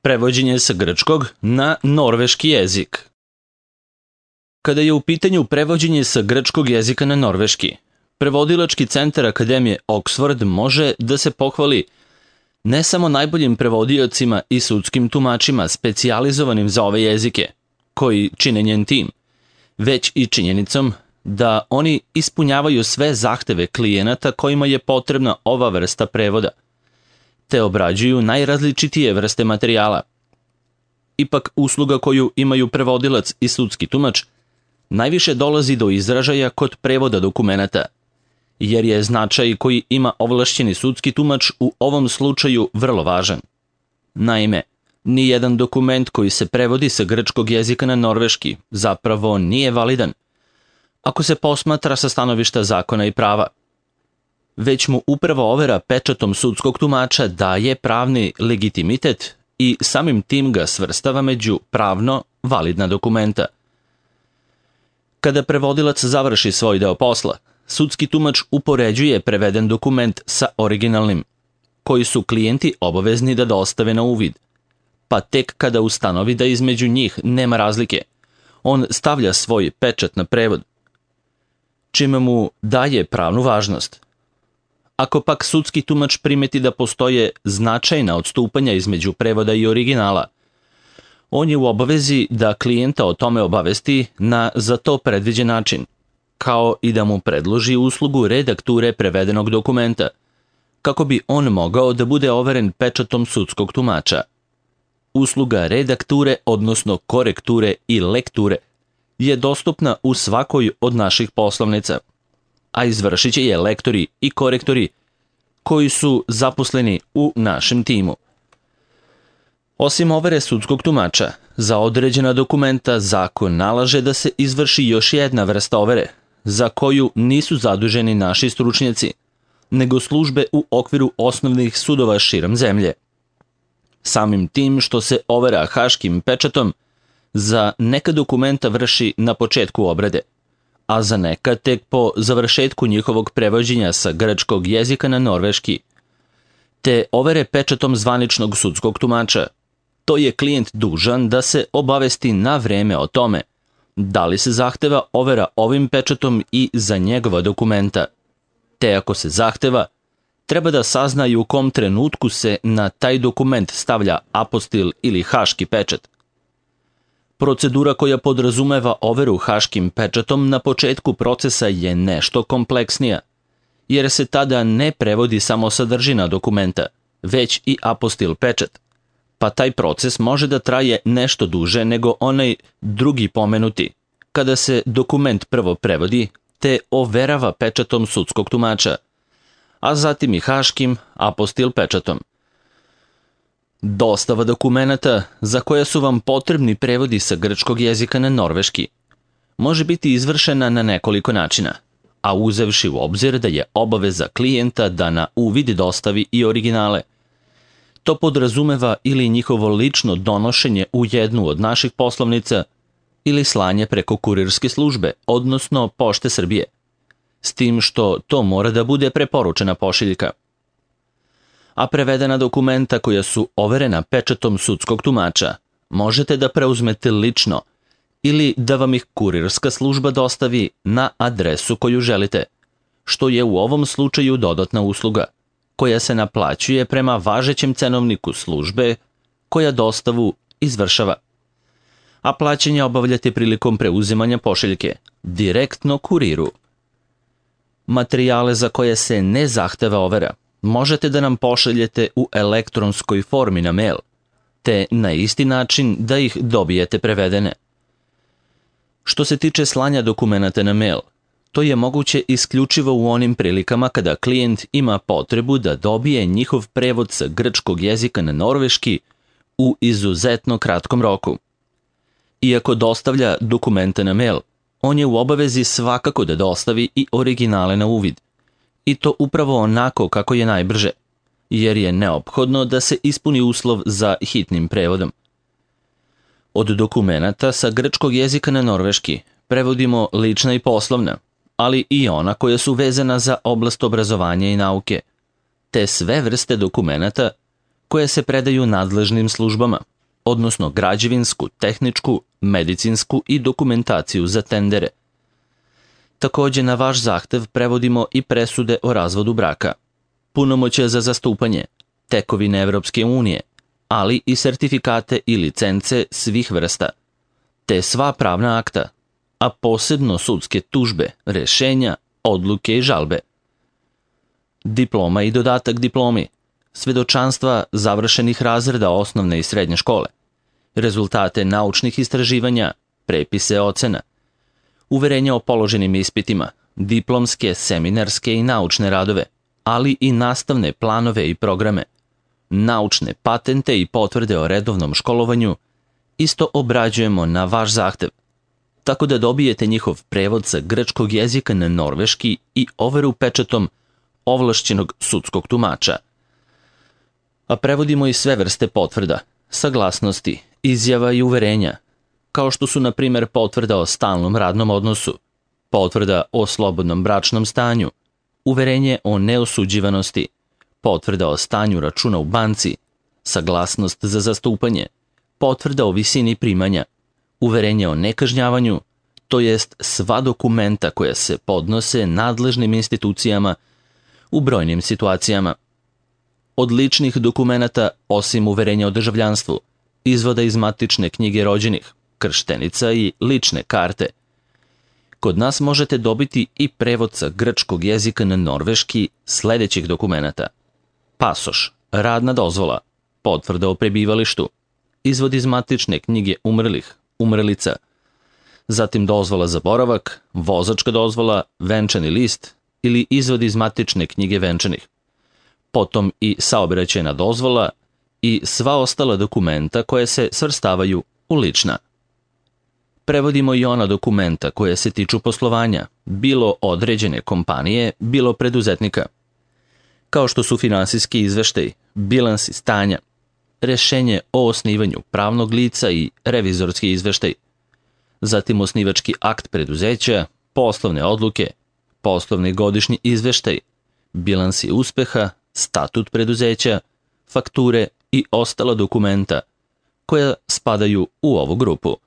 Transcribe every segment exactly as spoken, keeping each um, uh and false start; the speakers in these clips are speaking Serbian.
Prevođenje sa grčkog na norveški jezik. Kada je u pitanju prevođenje sa grčkog jezika na norveški, Prevodilački centar Akademije Oxford može da se pohvali ne samo najboljim prevodiocima i sudskim tumačima specijalizovanim za ove jezike, koji čine njen tim, već i činjenicom da oni ispunjavaju sve zahteve klijenata kojima je potrebna ova vrsta prevoda, te obrađuju najrazličitije vrste materijala. Ipak, usluga koju imaju prevodilac i sudski tumač najviše dolazi do izražaja kod prevoda dokumenata, jer je značaj koji ima ovlašćeni sudski tumač u ovom slučaju vrlo važan. Naime, nijedan dokument koji se prevodi sa grčkog jezika na norveški zapravo nije validan, ako se posmatra sa stanovišta zakona i prava, već mu upravo overa pečatom sudskog tumača daje pravni legitimitet i samim tim ga svrstava među pravno validna dokumenta. Kada prevodilac završi svoj deo posla, sudski tumač upoređuje preveden dokument sa originalnim, koji su klijenti obavezni da dostave na uvid, pa tek kada ustanovi da između njih nema razlike, on stavlja svoj pečat na prevod, čime mu daje pravnu važnost. Ako pak sudski tumač primeti da postoje značajna odstupanja između prevoda i originala, on je u obavezi da klijenta o tome obavesti na za to predviđen način, kao i da mu predloži uslugu redakture prevedenog dokumenta, kako bi on mogao da bude overen pečatom sudskog tumača. Usluga redakture, odnosno korekture i lekture, je dostupna u svakoj od naših poslovnica, a izvršit će je lektori i korektori koji su zaposleni u našem timu. Osim overe sudskog tumača, za određena dokumenta zakon nalaže da se izvrši još jedna vrsta overe, za koju nisu zaduženi naši stručnjaci, nego službe u okviru osnovnih sudova širom zemlje. Samim tim što se overa haškim pečatom, za neka dokumenta vrši na početku obrade, a za neka tek po završetku njihovog prevođenja sa grčkog jezika na norveški, te overe pečatom zvaničnog sudskog tumača, to je klijent dužan da se obavesti na vreme o tome da li se zahteva overa ovim pečatom i za njegova dokumenta, te ako se zahteva, treba da sazna i u kom trenutku se na taj dokument stavlja apostil ili haški pečat. Procedura koja podrazumeva overu haškim pečatom na početku procesa je nešto kompleksnija, jer se tada ne prevodi samo sadržina dokumenta, već i apostil pečat, pa taj proces može da traje nešto duže nego onaj drugi pomenuti, kada se dokument prvo prevodi te overava pečatom sudskog tumača, a zatim i haškim apostil pečatom. Dostava dokumenata za koja su vam potrebni prevodi sa grčkog jezika na norveški može biti izvršena na nekoliko načina, a uzevši u obzir da je obaveza klijenta da na uvid dostavi i originale. To podrazumeva ili njihovo lično donošenje u jednu od naših poslovnica ili slanje preko kurirske službe, odnosno Pošte Srbije, s tim što to mora da bude preporučena pošiljka. A prevedena dokumenta koja su overena pečatom sudskog tumača možete da preuzmete lično ili da vam ih kurirska služba dostavi na adresu koju želite, što je u ovom slučaju dodatna usluga, koja se naplaćuje prema važećem cenovniku službe koja dostavu izvršava. A plaćanje obavljate prilikom preuzimanja pošiljke, direktno kuriru. Materijale za koje se ne zahteva overa možete da nam pošaljete u elektronskoj formi na mail, te na isti način da ih dobijete prevedene. Što se tiče slanja dokumenata na mail, to je moguće isključivo u onim prilikama kada klijent ima potrebu da dobije njihov prevod sa grčkog jezika na norveški u izuzetno kratkom roku. Iako dostavlja dokumente na mail, on je u obavezi svakako da dostavi i originale na uvid, i to upravo onako kako je najbrže, jer je neophodno da se ispuni uslov za hitnim prevodom. Od dokumenata sa grčkog jezika na norveški prevodimo lična i poslovna, ali i ona koja su vezana za oblast obrazovanja i nauke, te sve vrste dokumenata koje se predaju nadležnim službama, odnosno građevinsku, tehničku, medicinsku i dokumentaciju za tendere. Takođe, na vaš zahtev prevodimo i presude o razvodu braka, punomoćja za zastupanje, tekovine Evropske unije, ali i sertifikate i licence svih vrsta, te sva pravna akta, a posebno sudske tužbe, rešenja, odluke i žalbe. Diploma i dodatak diplomi, svedočanstva završenih razreda osnovne i srednje škole, rezultate naučnih istraživanja, prepise ocena, uverenja o položenim ispitima, diplomske, seminarske i naučne radove, ali i nastavne planove i programe, naučne patente i potvrde o redovnom školovanju, isto obrađujemo na vaš zahtev, tako da dobijete njihov prevod sa grčkog jezika na norveški i overu pečatom ovlašćenog sudskog tumača. A prevodimo i sve vrste potvrda, saglasnosti, izjava i uverenja, kao što su, na primjer, potvrda o stalnom radnom odnosu, potvrda o slobodnom bračnom stanju, uverenje o neosuđivanosti, potvrda o stanju računa u banci, saglasnost za zastupanje, potvrda o visini primanja, uverenje o nekažnjavanju, to jest sva dokumenta koja se podnose nadležnim institucijama u brojnim situacijama. Od ličnih dokumenata, osim uverenja o državljanstvu, izvoda iz matične knjige rođenih, krštenica i lične karte. Kod nas možete dobiti i prevod sa grčkog jezika na norveški sledećih dokumenata: pasoš, radna dozvola, potvrda o prebivalištu, izvod iz matične knjige umrlih, umrlica, zatim dozvola za boravak, vozačka dozvola, venčani list ili izvod iz matične knjige venčanih, potom i saobraćajna dozvola i sva ostala dokumenta koje se svrstavaju u lična. Prevodimo i ona dokumenta koje se tiču poslovanja, bilo određene kompanije, bilo preduzetnika, kao što su finansijski izveštaj, bilansi stanja, rešenje o osnivanju pravnog lica i revizorski izveštaj, zatim osnivački akt preduzeća, poslovne odluke, poslovni godišnji izveštaj, bilansi uspeha, statut preduzeća, fakture i ostala dokumenta koja spadaju u ovu grupu.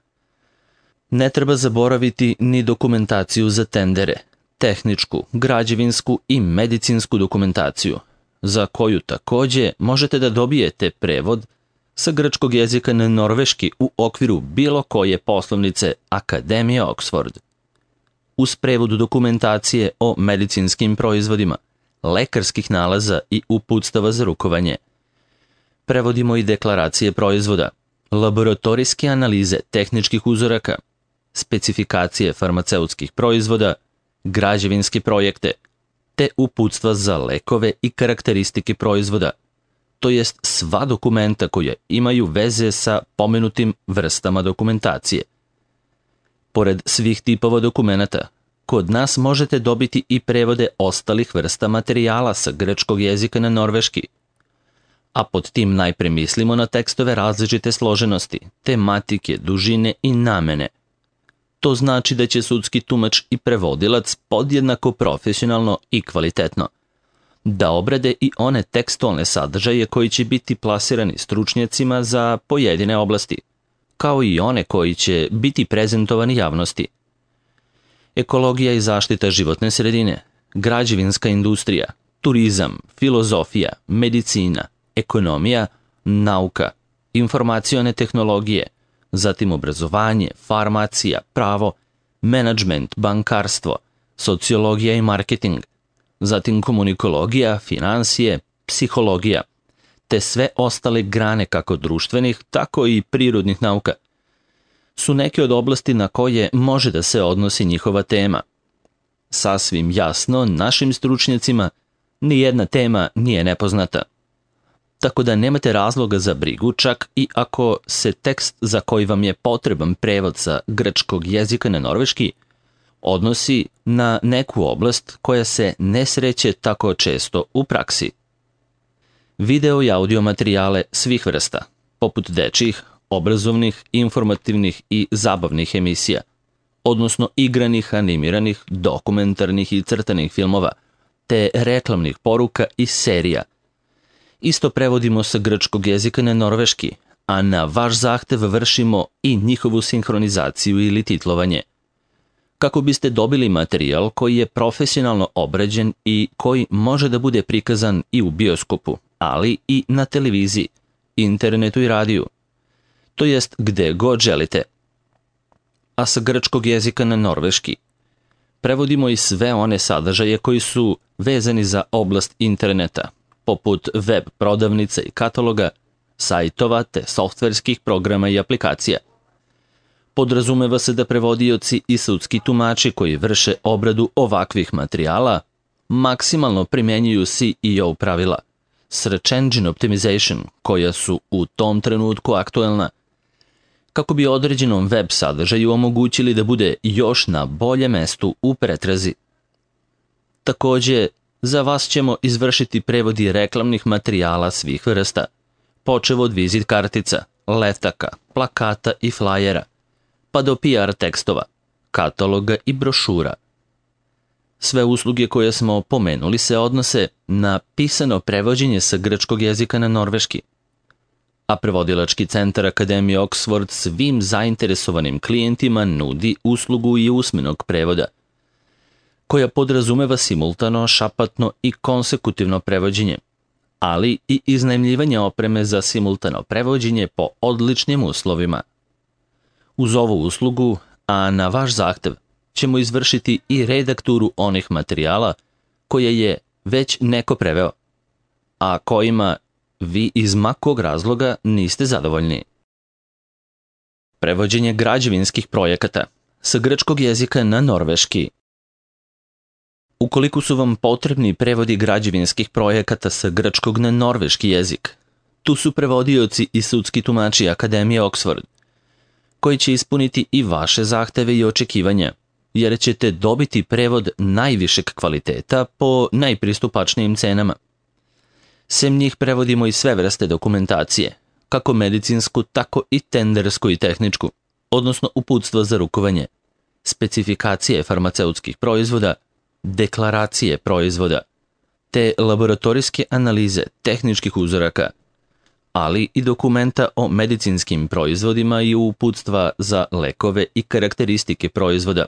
Ne treba zaboraviti ni dokumentaciju za tendere, tehničku, građevinsku i medicinsku dokumentaciju, za koju takođe možete da dobijete prevod sa grčkog jezika na norveški u okviru bilo koje poslovnice Akademije Oxford. Uz prevod dokumentacije o medicinskim proizvodima, lekarskih nalaza i uputstava za rukovanje. Prevodimo i deklaracije proizvoda, laboratorijske analize tehničkih uzoraka, specifikacije farmaceutskih proizvoda, građevinske projekte, te uputstva za lekove i karakteristike proizvoda, to jest sva dokumenta koja imaju veze sa pomenutim vrstama dokumentacije. Pored svih tipova dokumenata, kod nas možete dobiti i prevode ostalih vrsta materijala sa grčkog jezika na norveški, a pod tim najpre mislimo na tekstove različite složenosti, tematike, dužine i namene. To znači da će sudski tumač i prevodilac podjednako profesionalno i kvalitetno da obrade i one tekstualne sadržaje koji će biti plasirani stručnjacima za pojedine oblasti, kao i one koji će biti prezentovani javnosti. Ekologija i zaštita životne sredine, građevinska industrija, turizam, filozofija, medicina, ekonomija, nauka, informacione tehnologije, zatim obrazovanje, farmacija, pravo, menadžment, bankarstvo, sociologija i marketing, zatim komunikologija, finansije, psihologija, te sve ostale grane kako društvenih, tako i prirodnih nauka, su neke od oblasti na koje može da se odnosi njihova tema. Sasvim jasno, našim stručnjacima nijedna tema nije nepoznata. Tako da nemate razloga za brigu čak i ako se tekst za koji vam je potreban prevod sa grčkog jezika na norveški odnosi na neku oblast koja se ne sreće tako često u praksi. Video i audio materijale svih vrsta, poput dečjih, obrazovnih, informativnih i zabavnih emisija, odnosno igranih, animiranih, dokumentarnih i crtanih filmova, te reklamnih poruka i serija. Isto prevodimo sa grčkog jezika na norveški, a na vaš zahtev vršimo i njihovu sinhronizaciju ili titlovanje. Kako biste dobili materijal koji je profesionalno obrađen i koji može da bude prikazan i u bioskopu, ali i na televiziji, internetu i radiju, to jest gde god želite. A sa grčkog jezika na norveški prevodimo i sve one sadržaje koji su vezani za oblast interneta, poput web prodavnica i kataloga, sajtova te softverskih programa i aplikacija. Podrazumeva se da prevodioci i sudski tumači koji vrše obradu ovakvih materijala maksimalno primenjuju S E O pravila, Search Engine Optimization, koja su u tom trenutku aktuelna, kako bi određenom web sadržaju omogućili da bude još na boljem mestu u pretrazi. Takođe, za vas ćemo izvršiti prevodi reklamnih materijala svih vrsta, počev od vizit kartica, letaka, plakata i flajera, pa do P R tekstova, kataloga i brošura. Sve usluge koje smo pomenuli se odnose na pisano prevođenje sa grčkog jezika na norveški, a prevodilački centar Akademije Oxford svim zainteresovanim klijentima nudi uslugu i usmenog prevoda, koja podrazumeva simultano, šapatno i konsekutivno prevođenje, ali i iznajmljivanje opreme za simultano prevođenje po odličnim uslovima. Uz ovu uslugu, a na vaš zahtev, ćemo izvršiti i redakturu onih materijala koje je već neko preveo, a kojima vi iz ma kog razloga niste zadovoljni. Prevođenje građevinskih projekata sa grčkog jezika na norveški. Ukoliko su vam potrebni prevodi građevinskih projekata sa grčkog na norveški jezik, tu su prevodioci i sudski tumači Akademije Oxford, koji će ispuniti i vaše zahteve i očekivanja, jer ćete dobiti prevod najvišeg kvaliteta po najpristupačnijim cenama. Sem njih prevodimo i sve vrste dokumentacije, kako medicinsku, tako i tendersku i tehničku, odnosno uputstva za rukovanje, specifikacije farmaceutskih proizvoda, deklaracije proizvoda, te laboratorijske analize tehničkih uzoraka, ali i dokumenta o medicinskim proizvodima i uputstva za lekove i karakteristike proizvoda,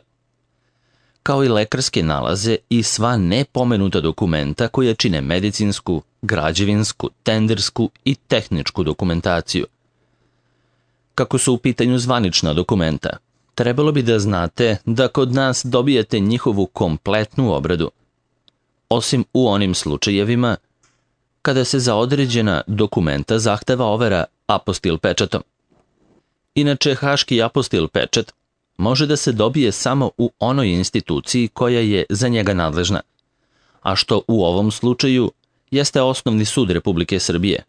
kao i lekarske nalaze i sva nepomenuta dokumenta koja čine medicinsku, građevinsku, tendersku i tehničku dokumentaciju. Kako su u pitanju zvanična dokumenta, trebalo bi da znate da kod nas dobijete njihovu kompletnu obradu, osim u onim slučajevima kada se za određena dokumenta zahteva overa apostil pečatom. Inače, haški apostil pečat može da se dobije samo u onoj instituciji koja je za njega nadležna, a što u ovom slučaju jeste Osnovni sud Republike Srbije,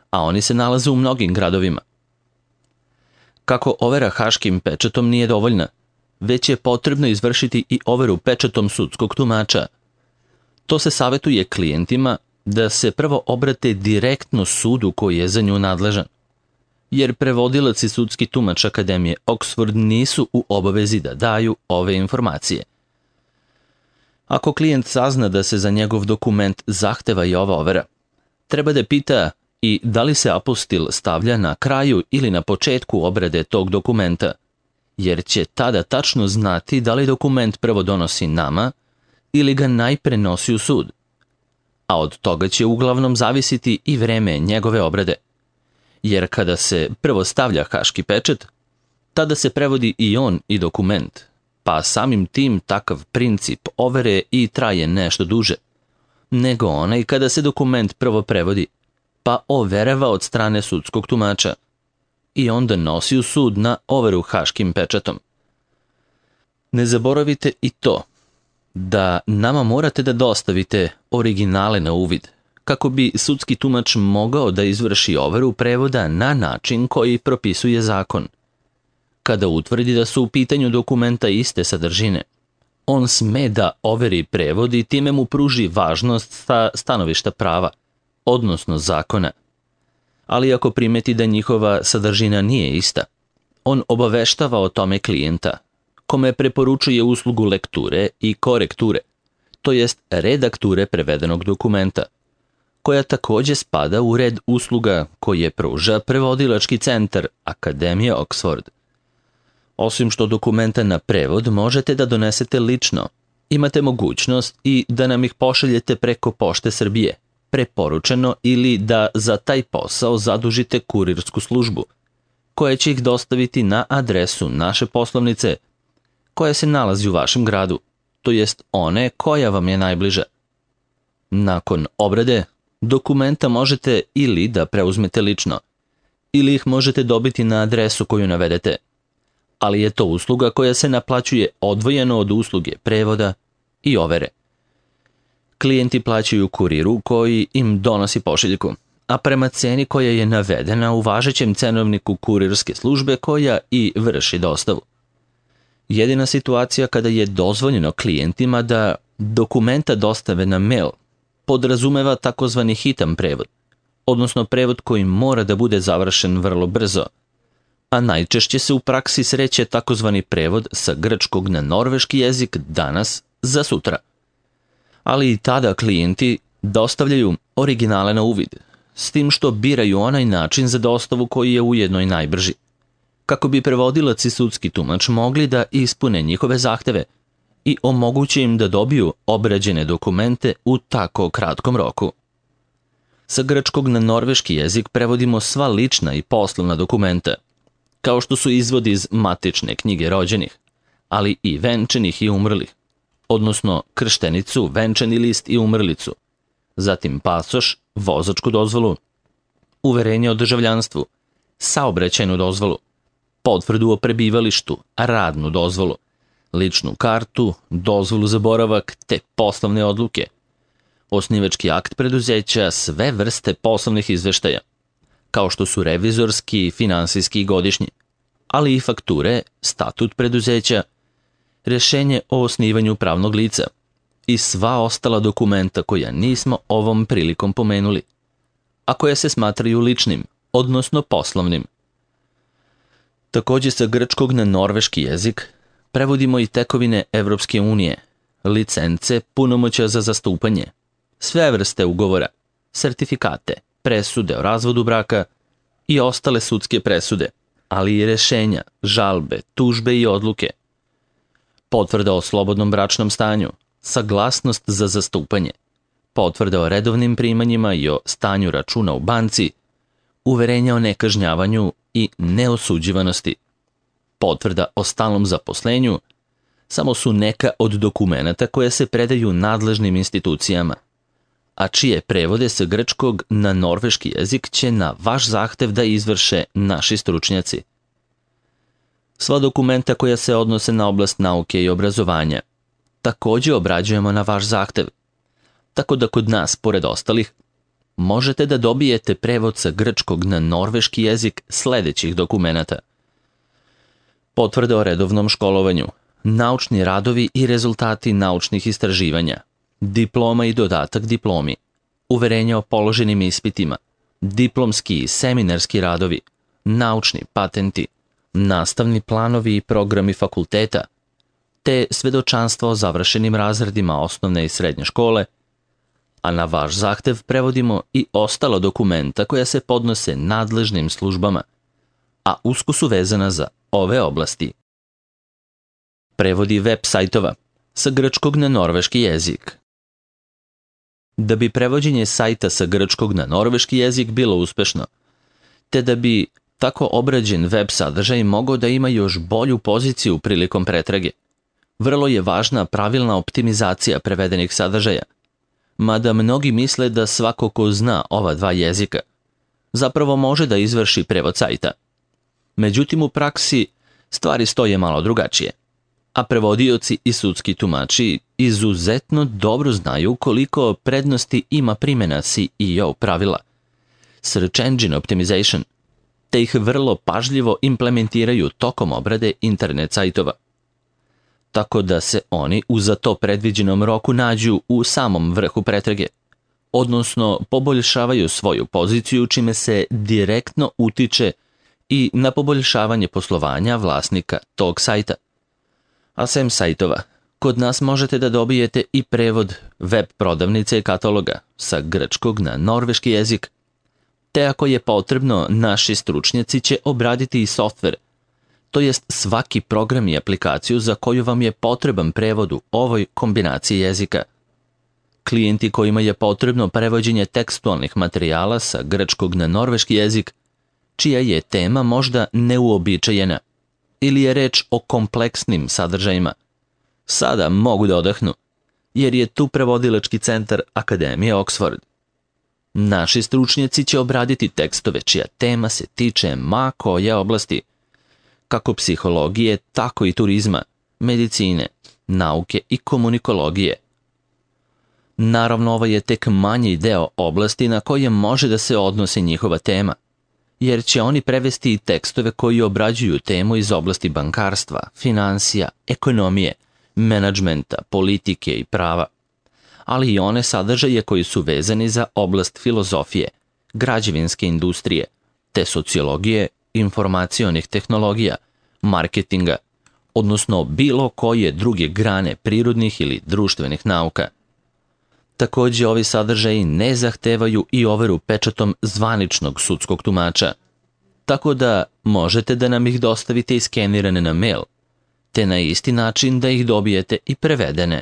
a oni se nalaze u mnogim gradovima. Kako overa haškim pečatom nije dovoljna, već je potrebno izvršiti i overu pečatom sudskog tumača. To se savetuje klijentima da se prvo obrate direktno sudu koji je za nju nadležan, jer prevodilac i sudski tumač Akademije Oxford nisu u obavezi da daju ove informacije. Ako klijent sazna da se za njegov dokument zahteva i ova overa, treba da pita i da li se apostil stavlja na kraju ili na početku obrade tog dokumenta, jer će tada tačno znati da li dokument prvo donosi nama ili ga najpre nosi u sud, a od toga će uglavnom zavisiti i vreme njegove obrade, jer kada se prvo stavlja haški pečat, tada se prevodi i on i dokument, pa samim tim takav princip overe i traje nešto duže, nego onaj kada se dokument prvo prevodi, pa overava od strane sudskog tumača i onda nosi u sud na overu haškim pečatom. Ne zaboravite i to da nama morate da dostavite originale na uvid, kako bi sudski tumač mogao da izvrši overu prevoda na način koji propisuje zakon. Kada utvrdi da su u pitanju dokumenta iste sadržine, on sme da overi prevod i time mu pruži važnost sa stanovišta prava, odnosno zakona. Ali ako primeti da njihova sadržina nije ista, on obaveštava o tome klijenta, kome preporučuje uslugu lekture i korekture, to jest redakture prevedenog dokumenta, koja takođe spada u red usluga koje pruža prevodilački centar Akademije Oxford. Osim što dokumenta na prevod možete da donesete lično, imate mogućnost i da nam ih pošaljete preko Pošte Srbije, preporučeno ili da za taj posao zadužite kurirsku službu, koja će ih dostaviti na adresu naše poslovnice, koja se nalazi u vašem gradu, to jest one koja vam je najbliža. Nakon obrade, dokumenta možete ili da preuzmete lično, ili ih možete dobiti na adresu koju navedete, ali je to usluga koja se naplaćuje odvojeno od usluge prevoda i overe. Klijenti plaćaju kuriru koji im donosi pošiljku, a prema ceni koja je navedena u važećem cenovniku kurirske službe koja i vrši dostavu. Jedina situacija kada je dozvoljeno klijentima da dokumenta dostave na mail podrazumeva takozvani hitan prevod, odnosno prevod koji mora da bude završen vrlo brzo, a najčešće se u praksi sreće takozvani prevod sa grčkog na norveški jezik danas za sutra. Ali i tada klijenti dostavljaju originale na uvid, s tim što biraju onaj način za dostavu koji je ujedno i najbrži, kako bi prevodilac i sudski tumač mogli da ispune njihove zahteve i omoguće im da dobiju obrađene dokumente u tako kratkom roku. Sa grčkog na norveški jezik prevodimo sva lična i poslovna dokumenta, kao što su izvodi iz matične knjige rođenih, ali i venčanih i umrlih, odnosno krštenicu, venčani list i umrlicu, zatim pasoš, vozačku dozvolu, uverenje o državljanstvu, saobraćajnu dozvolu, potvrdu o prebivalištu, radnu dozvolu, ličnu kartu, dozvolu za boravak te poslovne odluke, osnivački akt preduzeća, sve vrste poslovnih izveštaja, kao što su revizorski, finansijski i godišnji, ali i fakture, statut preduzeća, rešenje o osnivanju pravnog lica i sva ostala dokumenta koja nismo ovom prilikom pomenuli, a koja se smatraju ličnim, odnosno poslovnim. Takođe sa grčkog na norveški jezik prevodimo i tekovine Evropske unije, licence, punomoćja za zastupanje, sve vrste ugovora, sertifikate, presude o razvodu braka i ostale sudske presude, ali i rešenja, žalbe, tužbe i odluke, potvrda o slobodnom bračnom stanju, saglasnost za zastupanje, potvrda o redovnim primanjima i o stanju računa u banci, uverenja o nekažnjavanju i neosuđivanosti, potvrda o stalnom zaposlenju, samo su neka od dokumenata koje se predaju nadležnim institucijama, a čije prevode sa grčkog na norveški jezik će na vaš zahtev da izvrše naši stručnjaci. Sva dokumenta koja se odnose na oblast nauke i obrazovanja takođe obrađujemo na vaš zahtev, tako da kod nas, pored ostalih, možete da dobijete prevod sa grčkog na norveški jezik sledećih dokumenata: potvrda o redovnom školovanju, naučni radovi i rezultati naučnih istraživanja, diploma i dodatak diplomi, uverenja o položenim ispitima, diplomski i seminarski radovi, naučni patenti, nastavni planovi i programi fakulteta, te svedočanstva o završenim razredima osnovne i srednje škole, a na vaš zahtev prevodimo i ostala dokumenta koja se podnose nadležnim službama, a usko su vezana za ove oblasti. Prevodi web sajtova sa grčkog na norveški jezik. Da bi prevođenje sajta sa grčkog na norveški jezik bilo uspešno, te da bi tako obrađen web sadržaj mogao da ima još bolju poziciju prilikom pretrage, vrlo je važna pravilna optimizacija prevedenih sadržaja, mada mnogi misle da svako ko zna ova dva jezika zapravo može da izvrši prevod sajta. Međutim, u praksi stvari stoje malo drugačije, a prevodioci i sudski tumači izuzetno dobro znaju koliko prednosti ima primjena S E O pravila, Search Engine Optimization, te ih vrlo pažljivo implementiraju tokom obrade internet sajtova, tako da se oni u za to predviđenom roku nađu u samom vrhu pretrage, odnosno poboljšavaju svoju poziciju čime se direktno utiče i na poboljšavanje poslovanja vlasnika tog sajta. A sem sajtova, Kod nas možete da dobijete i prevod web prodavnice i kataloga sa grčkog na norveški jezik, te ako je potrebno, naši stručnjaci će obraditi i softver, to jest svaki program i aplikaciju za koju vam je potreban prevod u ovoj kombinaciji jezika. Klijenti kojima je potrebno prevođenje tekstualnih materijala sa grčkog na norveški jezik, čija je tema možda neuobičajena ili je reč o kompleksnim sadržajima, sada mogu da odahnu, jer je tu prevodilački centar Akademije Oxford. Naši stručnjaci će obraditi tekstove čija tema se tiče ma koje oblasti, kako psihologije, tako i turizma, medicine, nauke i komunikologije. Naravno, ovo je tek manji deo oblasti na koje može da se odnosi njihova tema, jer će oni prevesti i tekstove koji obrađuju temu iz oblasti bankarstva, finansija, ekonomije, menadžmenta, politike i prava, ali i one sadržaje koji su vezani za oblast filozofije, građevinske industrije, te sociologije, informacionih tehnologija, marketinga, odnosno bilo koje druge grane prirodnih ili društvenih nauka. Takođe, ovi sadržaji ne zahtevaju i overu pečatom zvaničnog sudskog tumača, tako da možete da nam ih dostavite iskenirane na mail, te na isti način da ih dobijete i prevedene.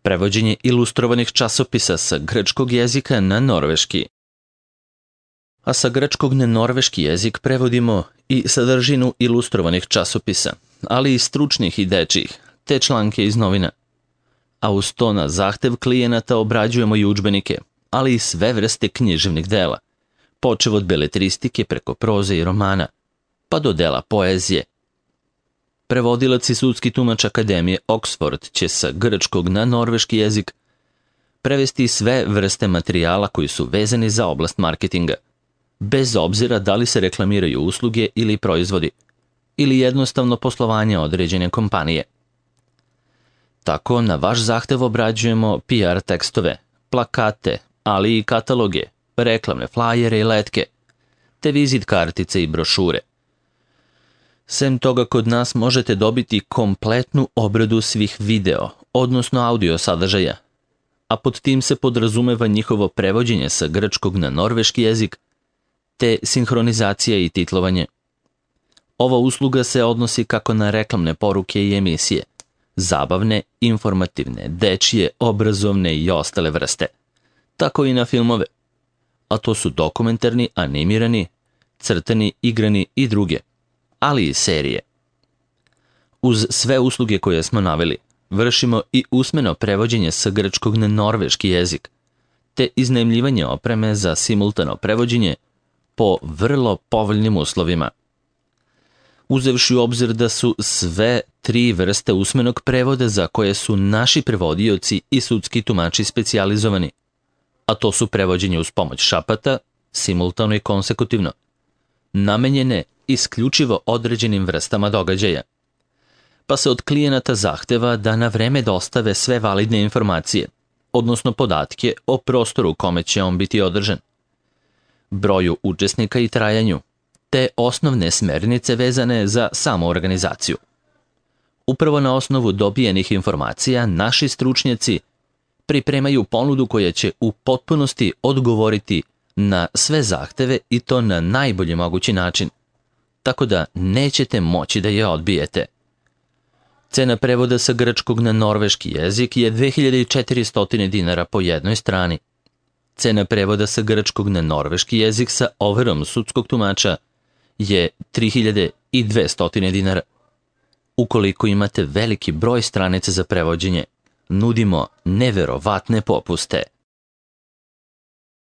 Prevođenje ilustrovanih časopisa sa grčkog jezika na norveški. A sa grčkog na norveški jezik prevodimo i sadržinu ilustrovanih časopisa, ali i stručnih i dečjih, te članke iz novina. A uz to na zahtev klijenata obrađujemo i udžbenike, ali i sve vrste književnih dela, počev od beletristike preko proze i romana, pa do dela poezije. Prevodilac i sudski tumač Akademije Oxford će sa grčkog na norveški jezik prevesti sve vrste materijala koji su vezani za oblast marketinga, bez obzira da li se reklamiraju usluge ili proizvodi, ili jednostavno poslovanje određene kompanije. Tako, na vaš zahtev obrađujemo P R tekstove, plakate, ali i kataloge, reklamne flajere i letke, te vizit kartice i brošure. Sem toga, kod nas možete dobiti kompletnu obradu svih video, odnosno audio sadržaja, a pod tim se podrazumeva njihovo prevođenje sa grčkog na norveški jezik, te sinhronizacija i titlovanje. Ova usluga se odnosi kako na reklamne poruke i emisije, zabavne, informativne, dečije, obrazovne i ostale vrste, tako i na filmove, a to su dokumentarni, animirani, crtani, igrani i druge, ali i serije. Uz sve usluge koje smo naveli, vršimo i usmeno prevođenje sa grčkog na norveški jezik, te iznajmljivanje opreme za simultano prevođenje po vrlo povoljnim uslovima. Uzevši u obzir da su sve tri vrste usmenog prevoda za koje su naši prevodioci i sudski tumači specijalizovani, a to su prevođenje uz pomoć šapata, simultano i konsekutivno, namenjene isključivo određenim vrstama događaja, pa se od klijenata zahteva da na vreme dostave sve validne informacije, odnosno podatke o prostoru u kome će on biti održan, broju učesnika i trajanju, te osnovne smernice vezane za samu organizaciju. Upravo na osnovu dobijenih informacija naši stručnjaci pripremaju ponudu koja će u potpunosti odgovoriti na sve zahteve i to na najbolji mogući način, tako da nećete moći da je odbijete. Cena prevoda sa grčkog na norveški jezik je dve hiljade četiristo dinara po jednoj strani. Cena prevoda sa grčkog na norveški jezik sa overom sudskog tumača je tri hiljade dvesta dinara. Ukoliko imate veliki broj stranica za prevođenje, nudimo neverovatne popuste.